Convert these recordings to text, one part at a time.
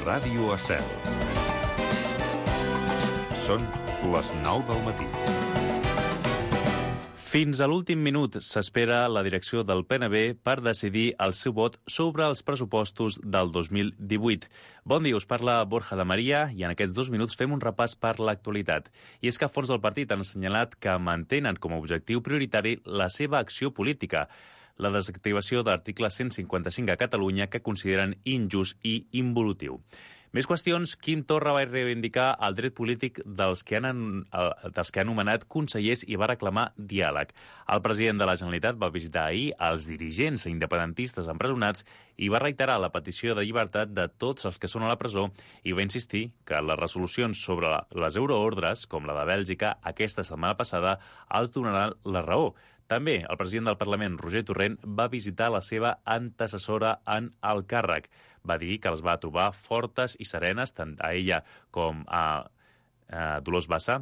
Ràdio Estel. Són les 9 del matí. Fins a l'últim minut s'espera la direcció del PNB per decidir el seu vot sobre els pressupostos del 2018. Bon dia, us parla Borja de Maria i en aquests 2 minuts fem un repàs per l'actualitat. I és que forts del partit han assenyalat que mantenen com a objectiu prioritari la seva acció política, la desactivació de l'article 155 a Catalunya, que consideren injust i involutiu. Més qüestions. Quim Torra va reivindicar el dret polític dels que han anomenat consellers i va reclamar diàleg. El president de la Generalitat va visitar ahir els dirigents independentistes empresonats i va reiterar la petició de llibertat de tots els que són a la presó i va insistir que les resolucions sobre les euroordres, com la de Bèlgica aquesta setmana passada, els donaran la raó. També el president del Parlament, Roger Torrent, va visitar la seva antecessora en el càrrec. Va dir que els va trobar fortes i serenes, tant a ella com a Dolors Bassa,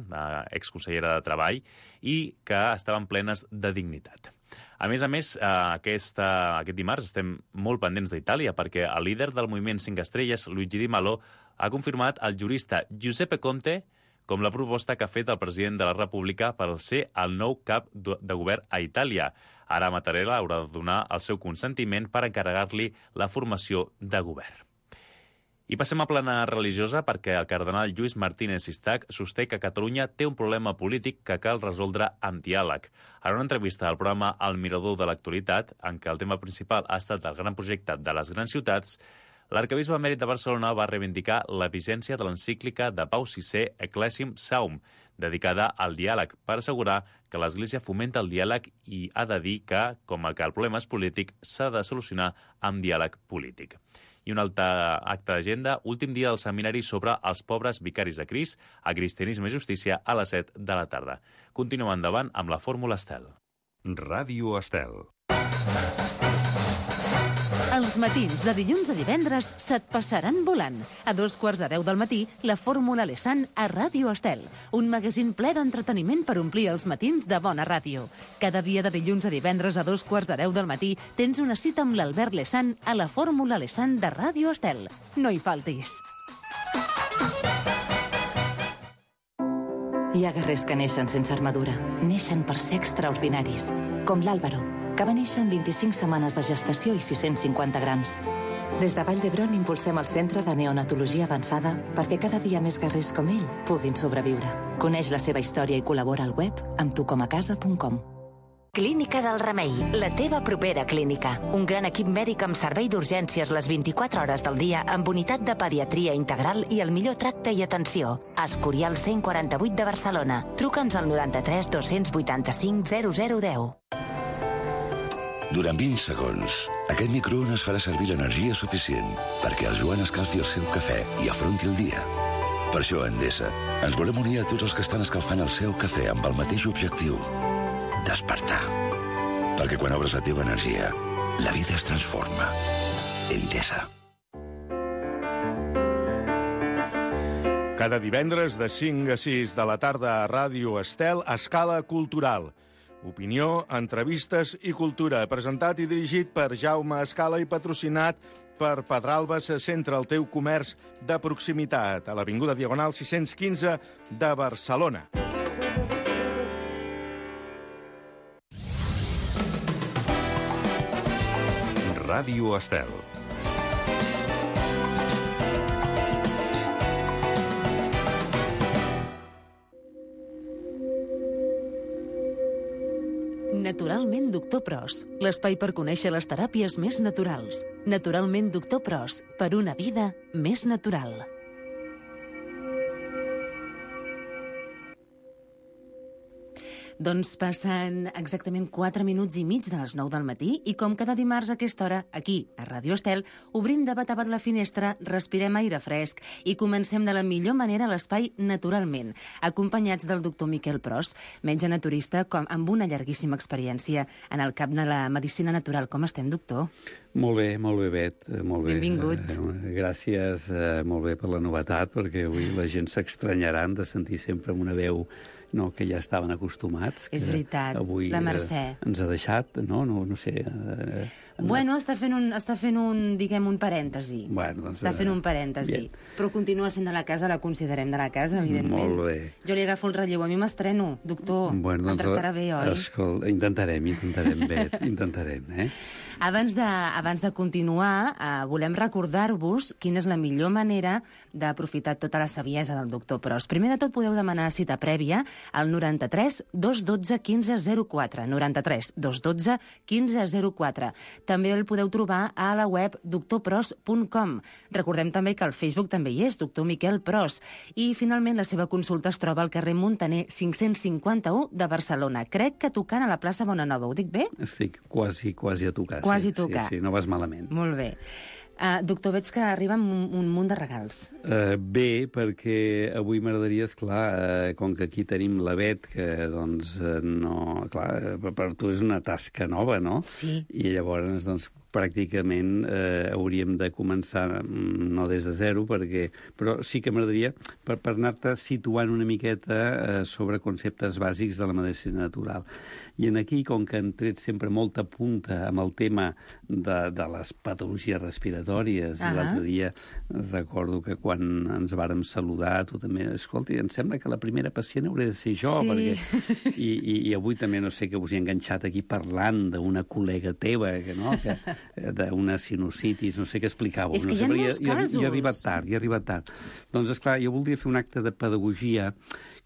exconsellera de Treball, i que estaven plenes de dignitat. A més, aquest dimarts estem molt pendents d'Itàlia perquè el líder del moviment 5 Estrelles, Luigi Di Malo, ha confirmat el jurista Giuseppe Conte com la proposta que ha fet el president de la República per ser el nou cap de govern a Itàlia. Ara Mattarella haurà de donar el seu consentiment per encarregar-li la formació de govern. I passem a plana religiosa perquè el cardenal Lluís Martínez Sistac sosté que Catalunya té un problema polític que cal resoldre amb diàleg. En una entrevista al programa El Mirador de l'Actualitat, en què el tema principal ha estat el gran projecte de les grans ciutats, l'arquebisbe emèrit de Barcelona va reivindicar la vigència de l'encíclica de Pau VI Ecclesiam Saum, dedicada al diàleg, per assegurar que l'Església fomenta el diàleg i ha de dir que, com que el problema és polític, s'ha de solucionar amb diàleg polític. I un altre acte d'agenda, últim dia del seminari sobre els pobres vicaris de Crist, a Cristianisme i Justícia, a les 7 de la tarda. Continuem endavant amb la Fórmula Estel. Ràdio Estel. Els matins de dilluns a divendres se't passaran volant. A 9:45 del matí, la Fórmula Lesan a Ràdio Estel. Un magazín ple d'entreteniment per omplir els matins de bona ràdio. Cada dia de dilluns a divendres a 9:45 del matí tens una cita amb l'Albert Lesan a la Fórmula Lesan de Ràdio Estel. No hi faltis. Hi ha guerrers que neixen sense armadura. Neixen per ser extraordinaris. Com l'Àlvaro, que va néixer en 25 setmanes de gestació i 650 grams. Des de Vall d'Hebron impulsem el Centre de Neonatologia Avançada perquè cada dia més guerrers com ell puguin sobreviure. Coneix la seva història i col·labora al web amb tucomacasa.com. Clínica del Remei, la teva propera clínica. Un gran equip mèdic amb servei d'urgències les 24 hores del dia amb unitat de pediatria integral i el millor tracte i atenció. Escorial 148 de Barcelona. Truca'ns al 93 285 0010. Durant 20 segons, aquest microones farà servir l'energia suficient perquè el Joan escalfi el seu cafè i afronti el dia. Per això, a Endesa, ens volem unir a tots els que estan escalfant el seu cafè amb el mateix objectiu: despertar. Perquè quan obres la teva energia, la vida es transforma. Endesa. Cada divendres de 5 a 6 de la tarda a Ràdio Estel, Escala Cultural. Opinió, entrevistes i cultura, presentat i dirigit per Jaume Escala i patrocinat per Pedralba se centra el teu comerç de proximitat a l'Avinguda Diagonal 615 de Barcelona. Ràdio Estel. Naturalment Doctor Pros, l'espai per conèixer les teràpies més naturals. Naturalment Doctor Pros, per una vida més natural. Doncs passen exactament 4 minuts i mig de les 9 del matí i com cada dimarts a aquesta hora, aquí, a Ràdio Estel, obrim de bat a bat la finestra, respirem aire fresc i comencem de la millor manera l'espai naturalment, acompanyats del doctor Miquel Pros, metge naturista amb una llarguíssima experiència en el camp de la medicina natural. Com estem, doctor? Molt bé, Bet. Molt bé. Benvingut. Gràcies, molt bé per la novetat, perquè avui la gent s'estranyaran de sentir sempre una veu no, que ja estaven acostumats. És veritat, avui, la Mercè. Ens ha deixat, no sé... Bueno, està fent un, diguem, un parèntesi. Bueno, doncs, està fent un parèntesi. Bien. Però continua sent de la casa, la considerem de la casa, evidentment. Molt bé. Jo li agafo el relleu, a mi m'estreno, doctor. Bueno, em tractarà bé, oi? Escolta, intentarem, Bet, intentarem, Abans de continuar, volem recordar-vos quina és la millor manera d'aprofitar tota la saviesa del doctor Pros. Primer de tot, podeu demanar cita prèvia al 93 212 1504. 93 212 1504. També el podeu trobar a la web doctorpros.com. Recordem també que al Facebook també hi és, doctor Miquel Pros. I, finalment, la seva consulta es troba al carrer Muntaner 551 de Barcelona. Crec que tocant a la plaça Bonanova. Ho dic bé? Estic quasi a tocar. Quasi a tocar. Sí, no vas malament. Molt bé. Doctor, veig que arriben un munt de regals. Bé, perquè avui m'agradaria, esclar, com que aquí tenim la Bet, que, doncs, no... Clar, per tu és una tasca nova, no? Sí. I llavors, doncs, pràcticament hauríem de començar no des de zero, però sí que m'agradaria per anar-te situant una miqueta sobre conceptes bàsics de la medicina natural. I aquí, com que han tret sempre molta punta amb el tema de les patologies respiratòries, l'altre dia recordo que quan ens vàrem saludar, tu també, escolta, em sembla que la primera pacient hauré de ser jo, sí. Perquè... I avui també, no sé, que us he enganxat aquí parlant d'una col·lega teva, d'una sinusitis, no sé què explicàveu. És que hi ha molts casos. I ha arribat tard. Doncs, esclar, jo voldria fer un acte de pedagogia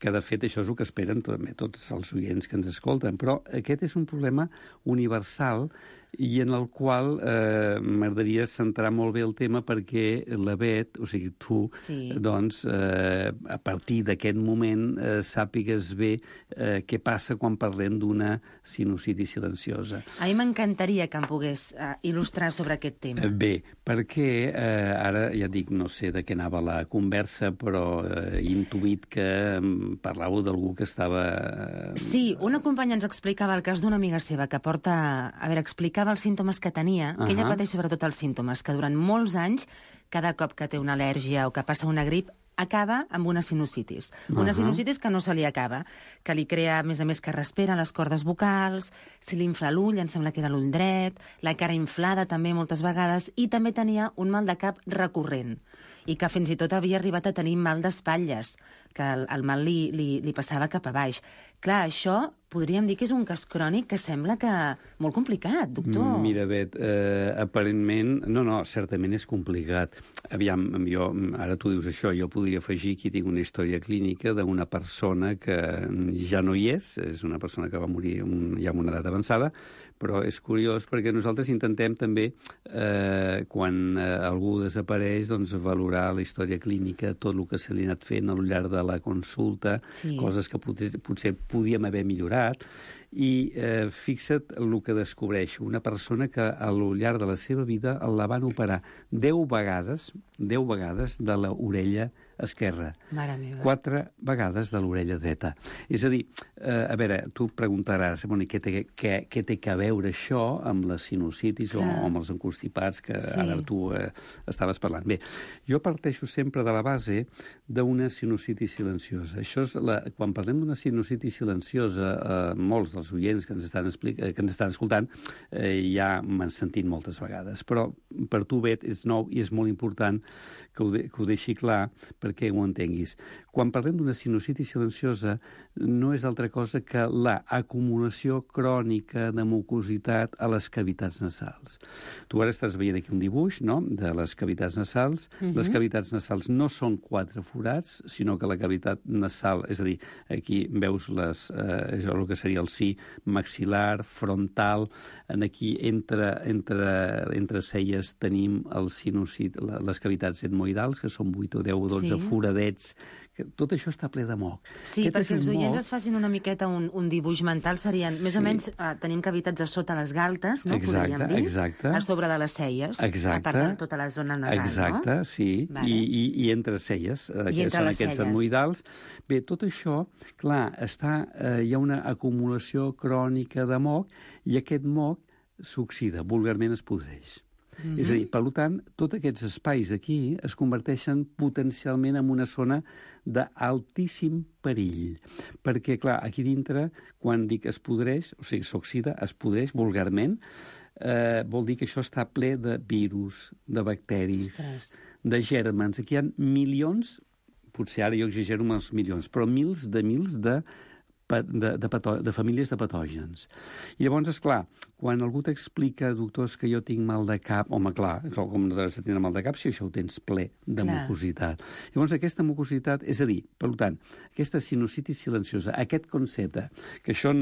que, de fet, això és el que esperen també tots els oients que ens escolten. Però aquest és un problema universal i en el qual m'agradaria centrar molt bé el tema perquè la Bet, o sigui, tu, sí. Doncs, a partir d'aquest moment sàpigues bé què passa quan parlem d'una sinusitis silenciosa. A mi m'encantaria que em pogués il·lustrar sobre aquest tema. Bé, perquè ara ja dic, no sé de què anava la conversa, però he intuït que parlàveu d'algú que estava... Sí, una companya ens explicava el cas d'una amiga seva que porta... A veure, explicava els símptomes que tenia, que ella pateix sobretot els símptomes, que durant molts anys, cada cop que té una al·lèrgia o que passa una grip, acaba amb una sinusitis. Una sinusitis que no se li acaba, que li crea, a més, que respira les cordes vocals, se li infla l'ull, em sembla que era l'ull dret, la cara inflada també moltes vegades, i també tenia un mal de cap recurrent, i que fins i tot havia arribat a tenir mal d'espatlles, que el mal li passava cap a baix. Clar, això podríem dir que és un cas crònic que sembla que molt complicat, doctor. Mira, Bet, aparentment... No, certament és complicat. Aviam, jo, ara tu dius això, jo podria afegir que tinc una història clínica d'una persona que ja no hi és una persona que va morir ja amb una edat avançada, però és curiós perquè nosaltres intentem també, quan algú desapareix, doncs valorar la història clínica, tot el que se li ha anat fent al llarg de la consulta, sí. Coses que potser podíem haver millorat, i fixa't el que descobreixo. Una persona que al llarg de la seva vida la van operar 10 vegades de l'orella esquerra. Mare meva. 4 vegades de l'orella dreta. És a dir, a veure, tu preguntaràs, bueno, què té que veure això amb la sinusitis o amb els encostipats que ara tu estaves parlant? Bé, jo parteixo sempre de la base d'una sinusitis silenciosa. Això és quan parlem d'una sinusitis silenciosa, molts dels oients que ens estan escoltant ja m'han sentit moltes vegades. Però per tu, Bet, és nou i és molt important que ho deixi clar perquè ho entenguis. Quan parlem d'una sinusitis silenciosa no és altra cosa que l'acumulació crònica de mucositat a les cavitats nasals. Tu ara estàs veient aquí un dibuix, no?, de les cavitats nasals. Les cavitats nasals no són 4 forats, sinó que la cavitat nasal, és a dir, aquí veus el que seria el si maxil·lar, frontal, aquí entre celles tenim les cavitats etmoidals, que són 8 o 10 o 12 foradets. Tot això està ple de moc. Sí, perquè els oients es facin una miqueta un dibuix mental, serien, més o menys, tenim cavitats a sota les galtes, no? Podríem dir, a sobre de les celles, a part de tota la zona nasal, no? Exacte, sí, i entre celles, que són aquests etmoidals. Bé, tot això, clar, hi ha una acumulació crònica de moc, i aquest moc s'oxida, vulgarment es podreix. És a dir, per tant, tots aquests espais aquí es converteixen potencialment en una zona d'altíssim perill. Perquè, clar, aquí dintre, quan dic es podreix, o sigui, s'oxida, es podreix vulgarment, vol dir que això està ple de virus, de bacteris, de gèrmens. Aquí hi ha milions, potser ara jo exagero amb els milions, però mils de famílies de patògens. I llavors, esclar, quan algú t'explica, doctors, que jo tinc mal de cap, home, clar, com no has de tenir mal de cap si això ho tens ple de mucositat. Llavors, aquesta mucositat, és a dir, per tant, aquesta sinusitis silenciosa, aquest concepte, que això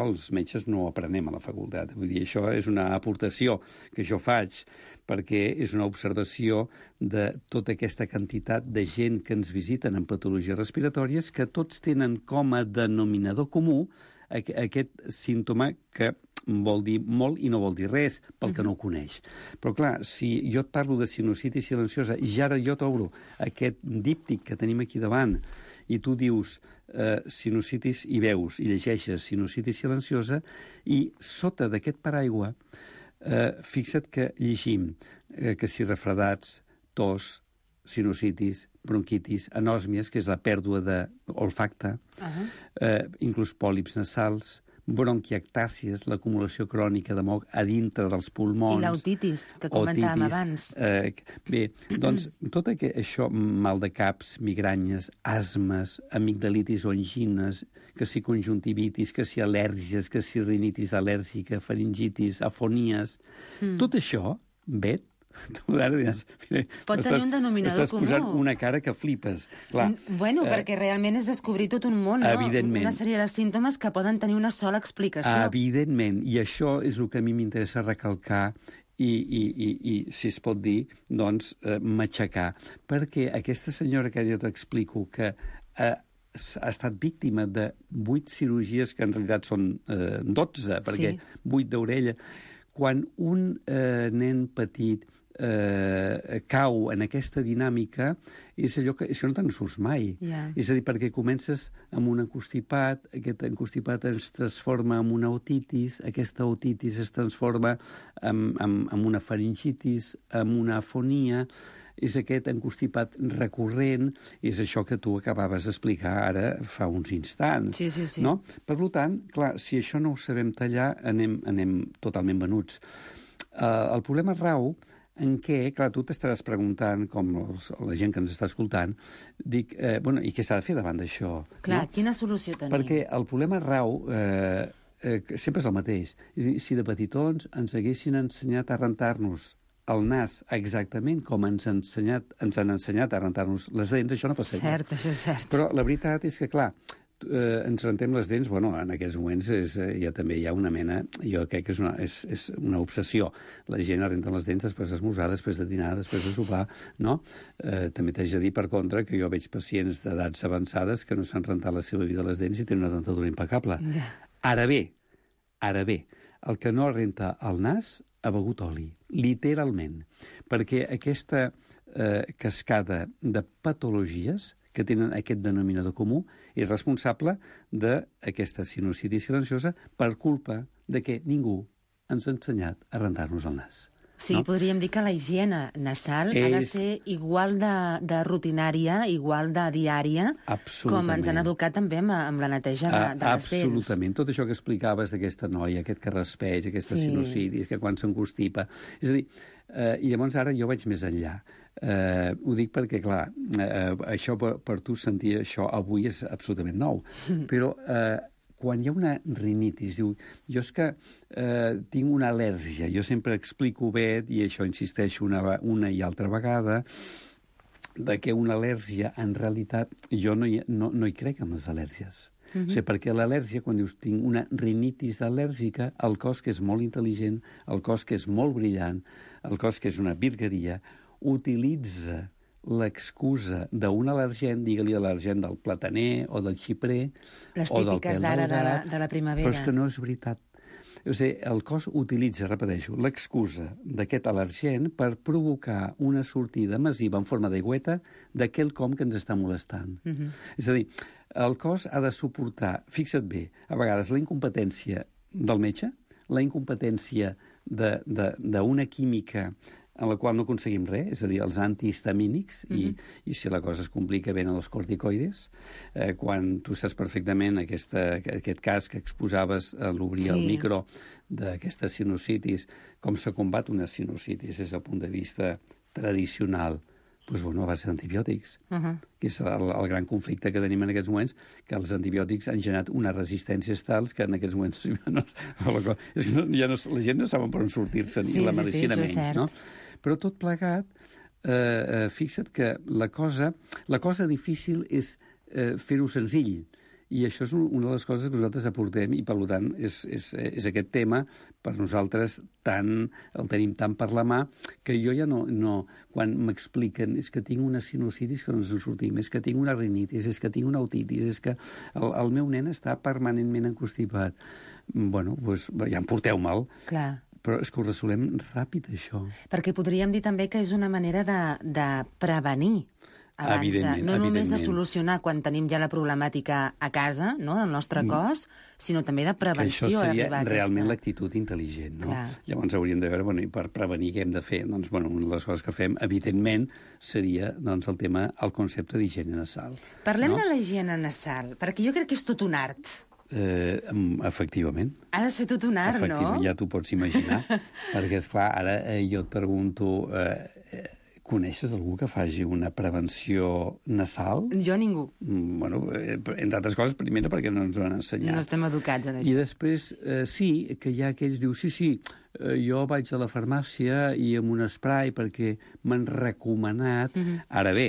els metges no ho aprenem a la facultat, vull dir, això és una aportació que jo faig perquè és una observació de tota aquesta quantitat de gent que ens visiten en patologies respiratòries que tots tenen com a denominador comú aquest símptoma que vol dir molt i no vol dir res pel que no ho coneix. Però clar, si jo et parlo de sinusitis silenciosa i ara jo t'obro aquest díptic que tenim aquí davant i tu dius sinusitis i veus i llegeixes sinusitis silenciosa i sota d'aquest paraigua fixa't que llegim que si refredats, tos, sinusitis, bronquitis, anòsmies, que és la pèrdua d'olfacte, inclús pòlips nasals, bronquiectàcies, l'acumulació crònica de moc a dintre dels pulmons. I l'otitis, que comentàvem abans. Bé, doncs, tot això, mal de caps, migranyes, asmes, amigdalitis o angines, que si conjuntivitis, que si al·lèrgies, que si rinitis al·lèrgica, faringitis, afonies, tot això, Bet, pot tenir un denominador comú. Estàs posant una cara que flipes. Clar, perquè realment és descobrir tot un món, no? Evidentment. Una sèrie de símptomes que poden tenir una sola explicació. Evidentment, i això és el que a mi m'interessa recalcar i si es pot dir, doncs, matxacar. Perquè aquesta senyora que jo t'explico, que ha estat víctima de 8 cirurgies, que en realitat són 12, perquè 8 d'orella, quan un nen petit cau en aquesta dinàmica és allò que no te'n surts mai. És a dir, perquè comences amb un encostipat, aquest encostipat es transforma en una otitis, aquesta otitis es transforma en una faringitis, en una afonia, és aquest encostipat recurrent, és això que tu acabaves d'explicar ara fa uns instants. Sí. No? Per tant, clar, si això no ho sabem tallar, anem totalment venuts. El problema rau en què, clar, tu t'estaràs preguntant, com la gent que ens està escoltant, dic, i què s'ha de fer davant d'això? Clar, quina solució tenim? Perquè el problema rau sempre és el mateix. És a dir, si de petitons ens haguessin ensenyat a rentar-nos el nas exactament com ens han ensenyat a rentar-nos les dents, això no passaria. Cert, això és cert. Però la veritat és que, clar, ens rentem les dents, en aquests moments també hi ha una mena, jo crec que és una obsessió. La gent renta les dents després d'esmorzar, després de dinar, després de sopar, no? També t'haig de dir, per contra, que jo veig pacients d'edats avançades que no s'han rentat la seva vida les dents i tenen una dentadura impecable. Ara bé, el que no renta el nas ha begut oli, literalment, perquè aquesta cascada de patologies que tenen aquest denominador comú és responsable d'aquesta sinusitis silenciosa per culpa de que ningú ens ha ensenyat a rentar-nos el nas. Sí, podríem dir que la higiene nasal ha de ser igual de rutinària, igual de diària, com ens han educat també amb la neteja de les dents. Absolutament. Tot això que explicaves d'aquesta noia, aquest carraspeig, aquesta sinusitis, que quan s'encostipa... És a dir, i llavors ara jo vaig més enllà. Ho dic perquè, clar, això per tu sentir això avui és absolutament nou, però quan hi ha una rinitis, diu, jo és que tinc una al·lèrgia, jo sempre explico bé, i això insisteixo una i altra vegada, de que una al·lèrgia, en realitat, jo no hi crec en les al·lèrgies. O sigui, perquè l'al·lèrgia, quan dius tinc una rinitis al·lèrgica, el cos que és molt intel·ligent, el cos que és molt brillant, el cos que és una virgueria, utilitza l'excusa d'un al·lergent, digue-li al·lergent del plataner o del xiprer o del pèl daurat, de la primavera. però és que no és veritat. O sigui, el cos utilitza, repeteixo, l'excusa d'aquest al·lergent per provocar una sortida massiva en forma d'aigüeta d'aquell com que ens està molestant. És a dir, el cos ha de suportar, fixa't bé, a vegades la incompetència del metge, la incompetència d'una química en la qual no aconseguim res, és a dir, els antihistamínics, i si la cosa es complica ben a els corticoides, quan tu saps perfectament aquest cas que exposaves a l'obrir el micro d'aquesta sinusitis, com se combat una sinusitis des del punt de vista tradicional, doncs, bueno, a base d'antibiòtics, que és el gran conflicte que tenim en aquests moments, que els antibiòtics han generat unes resistències tals que en aquests moments la gent no saben per on sortir-se, ni la medicina menys, no? Però tot plegat, fixa't que la cosa difícil és fer-ho senzill, i això és una de les coses que nosaltres aportem, i per tant és aquest tema per nosaltres el tenim tant per la mà que jo ja no quan m'expliquen és que tinc una sinusitis que no ens en sortim, és que tinc una rinitis, és que tinc una otitis, és que el meu nen està permanentment encostipat. Bueno, doncs ja em porteu mal. Clar. Però és que ho resolem ràpid, això. Perquè podríem dir també que és una manera de prevenir. No només de solucionar quan tenim ja la problemàtica a casa, no, al nostre cos, sinó també de prevenció. Que això seria realment l'actitud intel·ligent, no? Clar. Llavors hauríem de veure, i per prevenir què hem de fer? Doncs, una de les coses que fem, evidentment, seria el concepte d'higiene nasal. Parlem de la higiene nasal, perquè jo crec que és tot un art. Efectivament. Ha de ser tot un art, no? Ja t'ho pots imaginar, perquè, esclar, ara jo et pregunto... Coneixes algú que faci una prevenció nasal? Jo ningú. Bueno, entre altres coses, primera, perquè no ens ho han ensenyat. No estem educats en això. I després, sí, que hi ha aquells que diuen, sí, jo vaig a la farmàcia i amb un spray perquè m'han recomanat... Ara bé,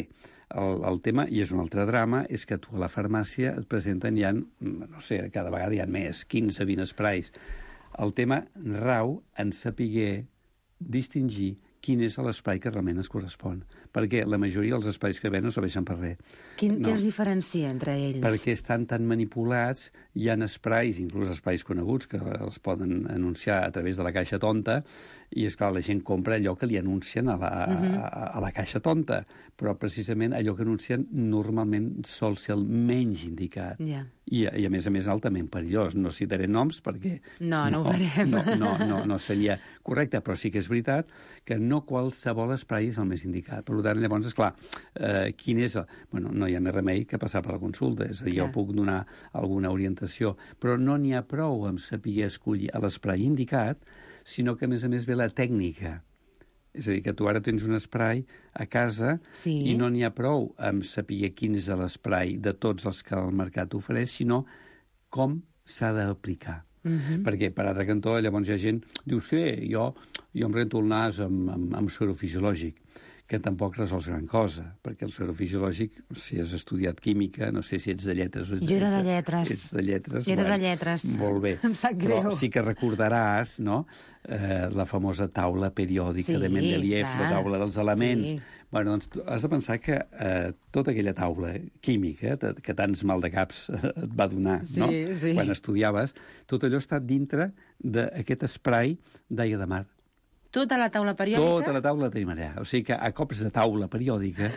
el tema, i és un altre drama, és que tu a la farmàcia et presenten ja, no sé, cada vegada hi ha més, 15-20 sprays. El tema rau en saber distingir quin és l'espai que realment es correspon. Perquè la majoria dels espais que ven no serveixen per res. Què els diferencia entre ells? Perquè estan tan manipulats, hi ha esprais, inclús espais coneguts, que els poden anunciar a través de la caixa tonta, i, esclar, la gent compra allò que li anuncien a la caixa tonta, però precisament allò que anuncien normalment sol ser el menys indicat. I a més, altament perillós. No citaré noms perquè... No ho farem. No seria correcte, però sí que és veritat que no qualsevol spray és el més indicat. Per tant, llavors, esclar, quin és el... Bueno, no hi ha més remei que passar per la consulta. És a dir, jo puc donar alguna orientació, però no n'hi ha prou amb saber escollir l'spray indicat, sinó que, a més, ve la tècnica. És a dir, que tu ara tens un spray a casa i no n'hi ha prou amb saber quin és l'spray de tots els que el mercat ofereix, sinó com s'ha d'aplicar. Perquè, per altre cantó, llavors hi ha gent que diu, sí, jo em rento el nas amb suero fisiològic, que tampoc resols gran cosa, perquè el suero fisiològic, si has estudiat química, no sé si ets de lletres o ets jo era de lletres. Ets de lletres. Jo era de lletres. Molt bé. Em sap greu. Però sí que recordaràs, no?, la famosa taula periòdica de Mendeleev, la taula dels elements. Bueno, doncs has de pensar que tota aquella taula química, que tants maldecaps et va donar, no?, quan estudiaves, tot allò està dintre d'aquest spray d'aigua de mar. Tota la taula periòdica? Tota la taula la tenim allà. O sigui que a cops de taula periòdica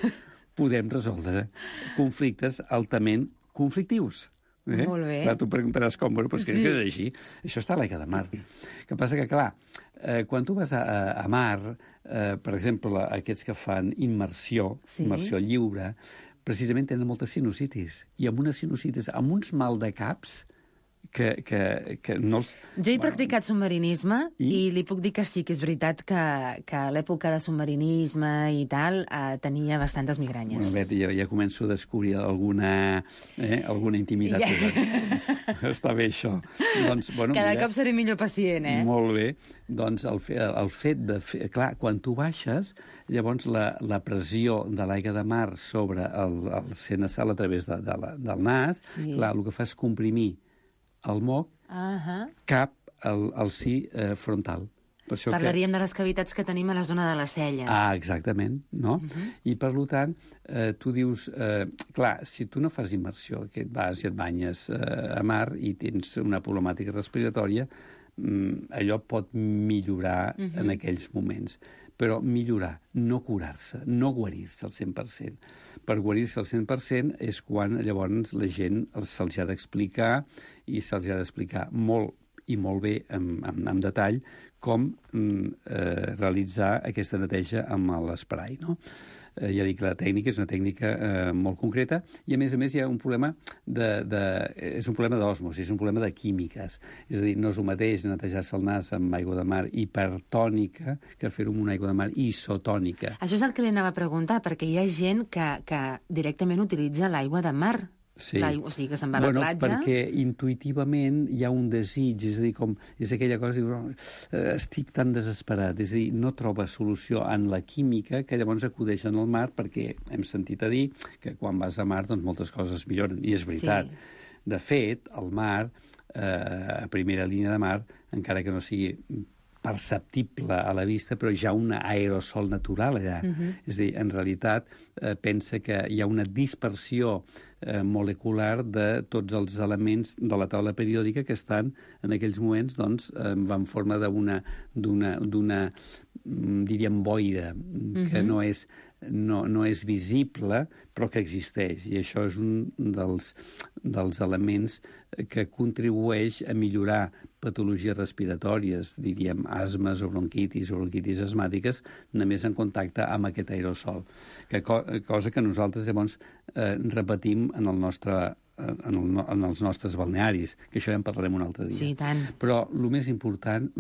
podem resoldre conflictes altament conflictius. Molt bé. Clar, tu preguntaràs com, però és que és així. Això està a l'aigua de mar. El que passa que, clar, quan tu vas a mar, per exemple, aquests que fan immersió lliure, precisament tenen moltes sinusitis. I amb unes sinusitis, amb uns maldecaps, que no els... Jo he practicat submarinisme i li puc dir que sí, que és veritat que a l'època de submarinisme i tal tenia bastantes migranyes. Bueno, Bet, ja començo a descobrir alguna intimitat. Està bé, això. Doncs, bueno, cada cop seré millor pacient, Molt bé. Doncs el fet de fer... Clar, quan tu baixes, llavors la pressió de l'aigua de mar sobre el ser nasal a través del nas, clar, el que fa és comprimir el moc cap al si frontal. Per això parlaríem de les cavitats que tenim a la zona de les celles. Exactament, no? I, per tant, tu dius... clar, si tu no fas immersió, que et vas i et banyes a mar i tens una problemàtica respiratòria, allò pot millorar en aquells moments. Però millorar, no curar-se, no guarir-se al 100%. Per guarir-se al 100% és quan llavors la gent se'ls ha d'explicar i se'ls ha d'explicar molt i molt bé, amb detall, com realitzar aquesta neteja amb l'esprai, no? Ja dic, la tècnica és una tècnica molt concreta i, a més, hi ha un problema és un problema d'osmosi, és un problema de químiques. És a dir, no és el mateix netejar-se el nas amb aigua de mar hipertònica que fer-ho amb una aigua de mar isotònica. Això és el que li anava a preguntar, perquè hi ha gent que directament utilitza l'aigua de mar. Sí. O sigui, que se'n va a la platja. Perquè intuïtivament hi ha un desig, és a dir, és aquella cosa, estic tan desesperat, és a dir, no troba solució en la química, que llavors acudeixen al mar, perquè hem sentit a dir que quan vas a mar doncs moltes coses milloren, i és veritat. Sí. De fet, el mar, a primera línia de mar, encara que no sigui perceptible a la vista, però hi ha un aerosol natural allà. És a dir, en realitat, pensa que hi ha una dispersió molecular de tots els elements de la taula periòdica que estan en aquells moments doncs, en forma d'una diríem, boira, que no és visible, però que existeix. I això és un dels elements que contribueix a millorar patologies respiratòries, diríem asmes o bronquitis asmàtiques, només en contacte amb aquest aerosol. Cosa que nosaltres llavors repetim en els nostres balnearis, que això ja en parlarem un altre dia. Sí, tant. Però el més important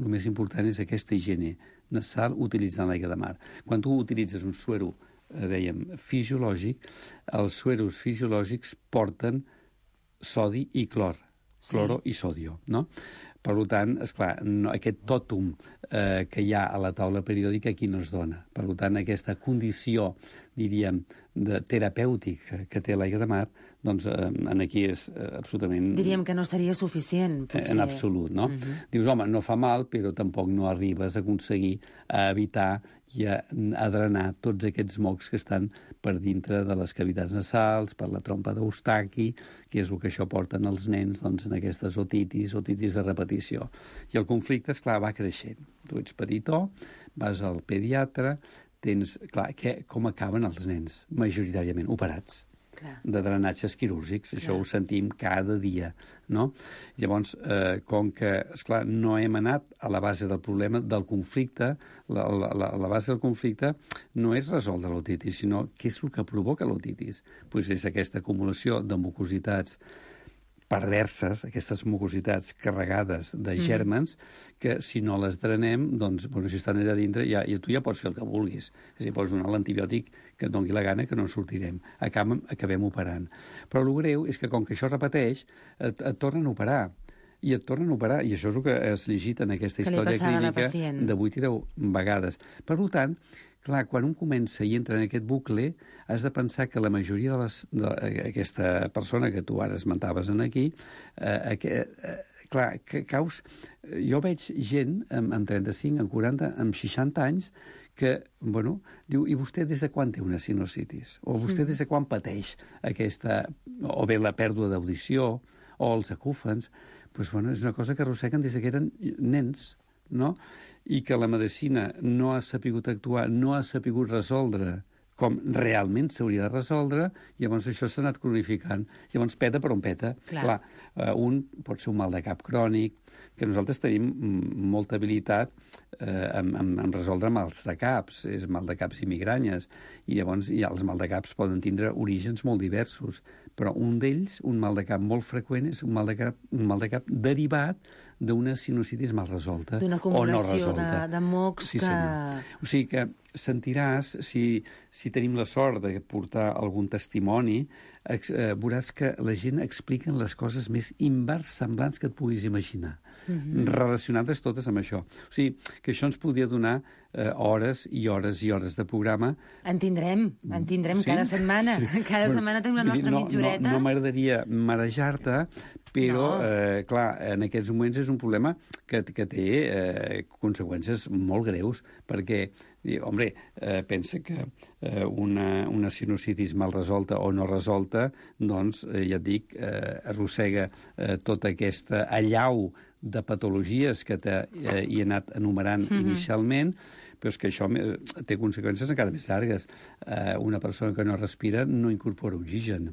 és aquesta higiene nasal utilitzant l'aigua de mar. Quan tu utilitzes un suero, dèiem, fisiològic, els sueros fisiològics porten sodi i clor, cloro i sodio, no? Per tant, esclar, aquest tòtum que hi ha a la taula periòdica aquí no es dona. Per tant, aquesta condició, diríem, terapèutica que té l'aigua de mar, doncs aquí és absolutament... Diríem que no seria suficient, potser. En absolut, no? Dius, home, no fa mal, però tampoc no arribes a aconseguir a evitar i a drenar tots aquests mocs que estan per dintre de les cavitats nasals, per la trompa d'Eustaqui, que és el que això porten els nens doncs, en aquestes otitis de repetició. I el conflicte, esclar, va creixent. Tu ets petitó, vas al pediatre, tens... Clar, com acaben els nens? Majoritàriament operats. De drenatges quirúrgics, això ho sentim cada dia, no? Llavors, com que, esclar, no hem anat a la base del problema del conflicte, la base del conflicte no és resoldre l'otitis, sinó què és el que provoca l'otitis? Doncs és aquesta acumulació de mucositats perverses, aquestes mucositats carregades de gèrmens, que si no les drenem, doncs, bueno, si estan allà dintre, tu ja pots fer el que vulguis. És a dir, pots donar l'antibiòtic que et doni la gana, que no en sortirem. Acabem operant. Però el greu és que, com que això repeteix, et tornen a operar. I et tornen a operar, i això és el que has llegit en aquesta història clínica de 8 i 10 vegades. Per tant, clar, quan un comença i entra en aquest bucle, has de pensar que la majoria d'aquesta persona que tu ara esmentaves aquí, clar, que caus... Jo veig gent amb 35, amb 40, amb 60 anys que, bueno, diu, i vostè des de quan té una sinusitis? O vostè des de quan pateix aquesta... o bé la pèrdua d'audició, o els acúfens? Doncs, bueno, és una cosa que arrosseguen des que eren nens, no? I que la medicina no ha sapigut actuar, no ha sapigut resoldre com realment s'hauria de resoldre, llavors això s'ha anat cronificant. Llavors peta per on peta. Clar, un pot ser un mal de cap crònic, que nosaltres tenim molta habilitat en resoldre mals de caps, és mal de caps i migranyes, i llavors els mal de caps poden tindre orígens molt diversos, però un d'ells, un mal de cap molt freqüent, és un mal de cap derivat d'una sinusitis mal resolta o no resolta. D'una acumulació de mocs que... O sigui que sentiràs, si tenim la sort de portar algun testimoni, veuràs que la gent explica les coses més inversemblants que et puguis imaginar, relacionades totes amb això. O sigui, que això ens podria donar hores i hores i hores de programa. En tindrem cada setmana. Cada setmana tenim la nostra mitjoreta. No m'agradaria marejar-te, però, clar, en aquests moments és un problema que té conseqüències molt greus, perquè, home, pensa que una sinusitis mal resolta o no resolta, doncs, ja et dic, arrossega tota aquesta allau de patologies que hi he anat enumerant inicialment, però és que això té conseqüències encara més llargues. Una persona que no respira no incorpora oxigen.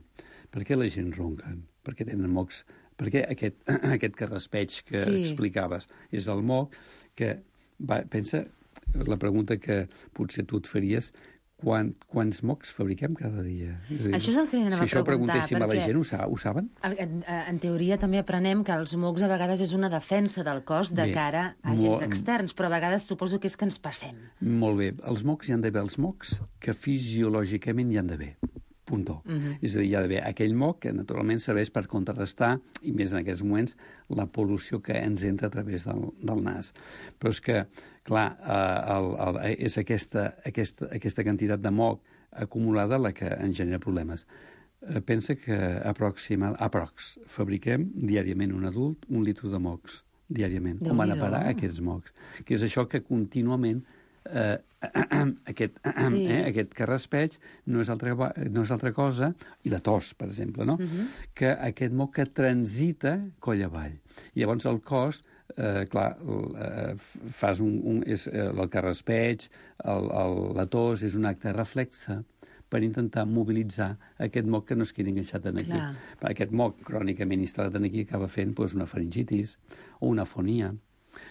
Per què la gent ronquen? Perquè tenen mocs... Perquè aquest carraspeig que explicaves és el moc que pensa, la pregunta que potser tu et faries, quants mocs fabriquem cada dia? Això és el que anava a preguntar. Si això ho preguntéssim a la gent, ho saben? En teoria també aprenem que els mocs a vegades és una defensa del cos de cara a agents externs, però a vegades suposo que és que ens passem. Molt bé. Els mocs hi han d'haver els mocs que fisiològicament hi han d'haver. Puntó. És a dir, hi ha d'haver aquell moc que naturalment serveix per contrarrestar, i més en aquests moments, la pol·lució que ens entra a través del nas. Però és que, clar, és aquesta quantitat de moc acumulada la que ens genera problemes. Pensa que aprox fabriquem diàriament un adult 1 litre de mocs, diàriament. On van a parar aquests mocs? Que és això que contínuament aquest carraspeig no és altra cosa, i la tos, per exemple, no? Que aquest moc que transita coll avall. I llavors el cos, clar, fas el carraspeig, la tos, és un acte reflexe per intentar mobilitzar aquest moc que no es quedi enganxat aquí. Aquest moc crònicament instal·lat aquí acaba fent una faringitis o una afonia.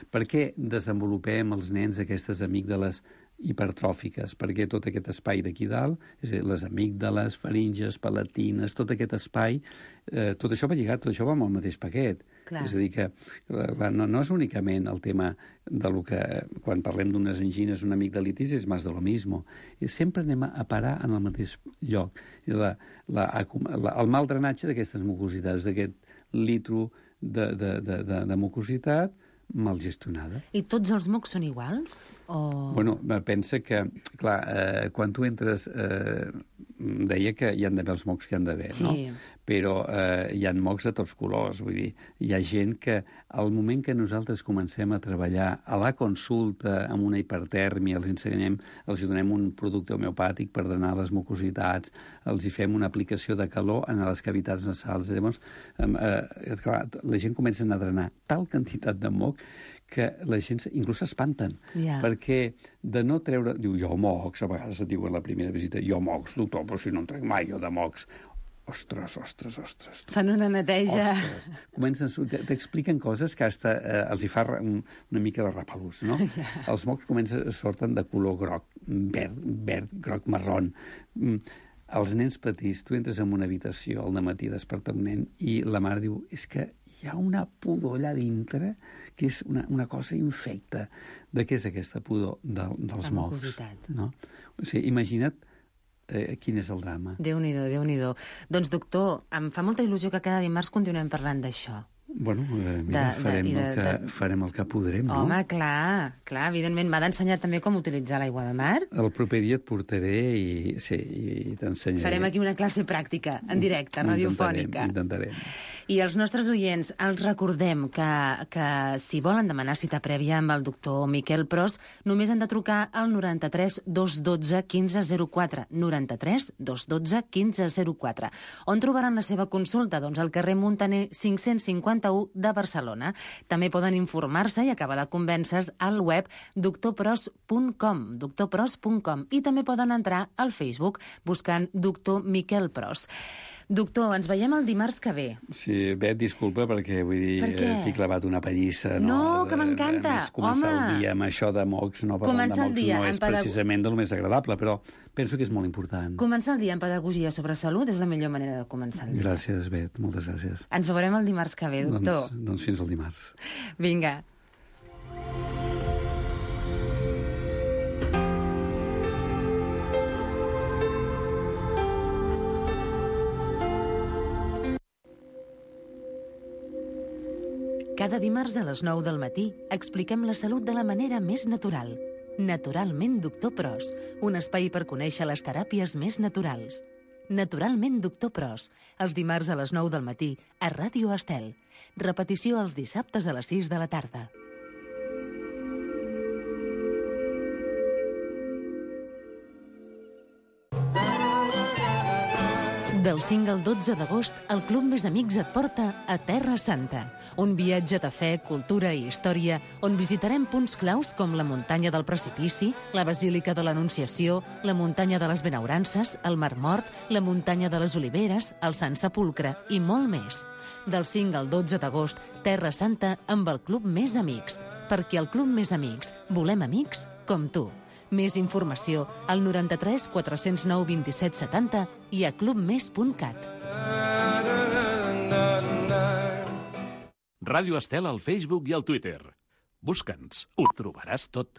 Per què desenvolupem els nens aquestes amígdales hipertròfiques? Perquè tot aquest espai d'aquí dalt, és a dir, les amígdales, faringes, palatines, tot aquest espai, tot això va lligat, tot això va amb el mateix paquet. És a dir, que no és únicament el tema de lo que, quan parlem d'unes angines, una amigdalitis, és més de lo mismo. Sempre anem a parar en el mateix lloc. El mal drenatge d'aquestes mucositats, d'aquest litro de mucositat, mal gestionada. I tots els mocs són iguals? Bueno, pensa que, clar, quan tu entres, deia que hi han d'haver els mocs que hi han d'haver, no? Però hi ha mocs de tots colors, vull dir, hi ha gent que al moment que nosaltres comencem a treballar a la consulta amb una hipertèrmia, els donem un producte homeopàtic per drenar les mucositats, els hi fem una aplicació de calor en les cavitats nasals. Llavors, clar, la gent comença a drenar tal quantitat de moc que la gent inclús s'espanten, perquè de no treure... Diu, jo mocs, a vegades et diuen a la primera visita, jo mocs, doctor, però si no en trec mai jo de mocs. Ostres. Fan una neteja. T'expliquen coses que els hi fa una mica de repelús, no? Els mocs sorten de color groc, verd, groc, marrón. Els nens petits, tu entres en una habitació al dematí despertar un nen i la mare diu, és que hi ha una pudor allà dintre que és una cosa infecta. De què és aquesta pudor? Dels mocs. No? O sigui, imagina't quin és el drama. Déu-n'hi-do, Déu-n'hi-do. Doncs, doctor, em fa molta il·lusió que cada dimarts continuem parlant d'això. Bueno, mira, farem el que podrem, no? Home, clar, evidentment. M'ha d'ensenyar també com utilitzar l'aigua de mar. El proper dia et portaré i t'ensenyaré. Farem aquí una classe pràctica, en directe, radiofònica. Intentarem. I els nostres oients, els recordem que si volen demanar cita prèvia amb el doctor Miquel Pros, només han de trucar al 93 212 1504, 93 212 1504. On trobaran la seva consulta? Doncs al carrer Muntaner 551 de Barcelona. També poden informar-se i acabar de convèncer al web doctorpros.com, i també poden entrar al Facebook buscant doctor Miquel Pros. Doctor, ens veiem el dimarts que ve. Sí, bé, disculpa, perquè vull dir, t'he clavat una pallissa. No, que m'encanta. Començar el dia amb això de mocs, no parlant de mocs, no és precisament del més agradable, però penso que és molt important. Començar el dia amb pedagogia sobre salut és la millor manera de començar el dia. Gràcies, Bet, moltes gràcies. Ens veurem el dimarts que ve, doctor. Doncs fins al dimarts. Vinga. Cada dimarts a les 9 del matí expliquem la salut de la manera més natural. Naturalment, doctor Pros, un espai per conèixer les teràpies més naturals. Naturalment, doctor Pros, els dimarts a les 9 del matí a Ràdio Estel. Repetició els dissabtes a les 6 de la tarda. Del 5 al 12 d'agost, el Club Més Amics et porta a Terra Santa, un viatge de fe, cultura i història on visitarem punts claus com la muntanya del Precipici, la Basílica de l'Anunciació, la muntanya de les Benaurances, el Mar Mort, la muntanya de les Oliveres, el Sant Sepulcre i molt més. Del 5 al 12 d'agost, Terra Santa amb el Club Més Amics. perquè al Club Més Amics volem amics com tu. Més informació al 93 409 27 70 i a clubmes.cat. Ràdio Estel al Facebook i al Twitter. Busca'ns, ho trobaràs tot.